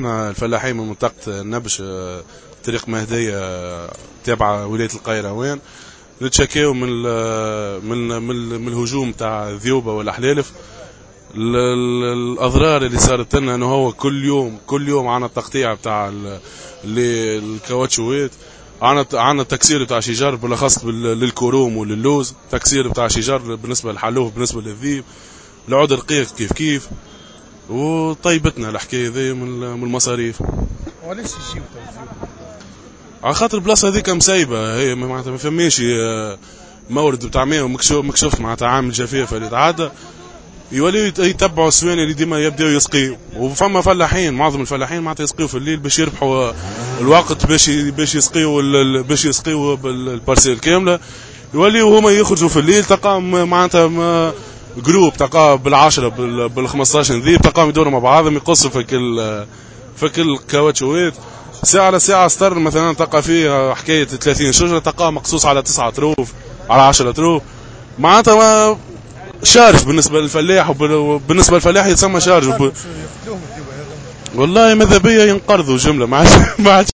الفلاحين من منطقة النبش، طريق مهدية، تابعة ولاية القيروان، نتشكاو من الهجوم تاع الذيوبة والأحلالف. الأضرار اللي صارت لنا أنه هو كل يوم كل يوم عنا التقطيع بتاع الكاوتشوات، عنا تكسير بتاع شجار بالأخص للكروم وللوز، تكسير بتاع شجار بالنسبة للحلوف، بالنسبة للذيب، العود الرقيق كيف كيف، وطيبتنا الحكاية ذي من المصاريف. وعلاش يجيو؟ على خاطر البلاصة هذيك مسيبه، هي معناتها ما فماش مورد بتاع ماء، مكشوف معناتها عامل جفاف اللي تعدى يوليو يتبعوا السواني اللي ديما يبداو يسقيو. وفما فلاحين، معظم الفلاحين معناتها يسقيو في الليل باش يربحوا الوقت، باش يسقيو ال parcelle كامله. يوليو هما يخرجوا في الليل، تلقاهم معناتها groupe، تلقاه بال10 بال15 ذيب، تلقاهم يدوروا مع بعضهم يقصوا في كل كاوتشوات ساعة على ساعة. سطر مثلا تلقى فيه حكاية 30 شجرة، تلقاه مقصوص على 9 طروف، على 10 طروف، معناتها charge بالنسبة للفلاح، وبالنسبة للفلاح يتسمى charge. والله ماذا بيا ينقرضوا جملة، ما عادش.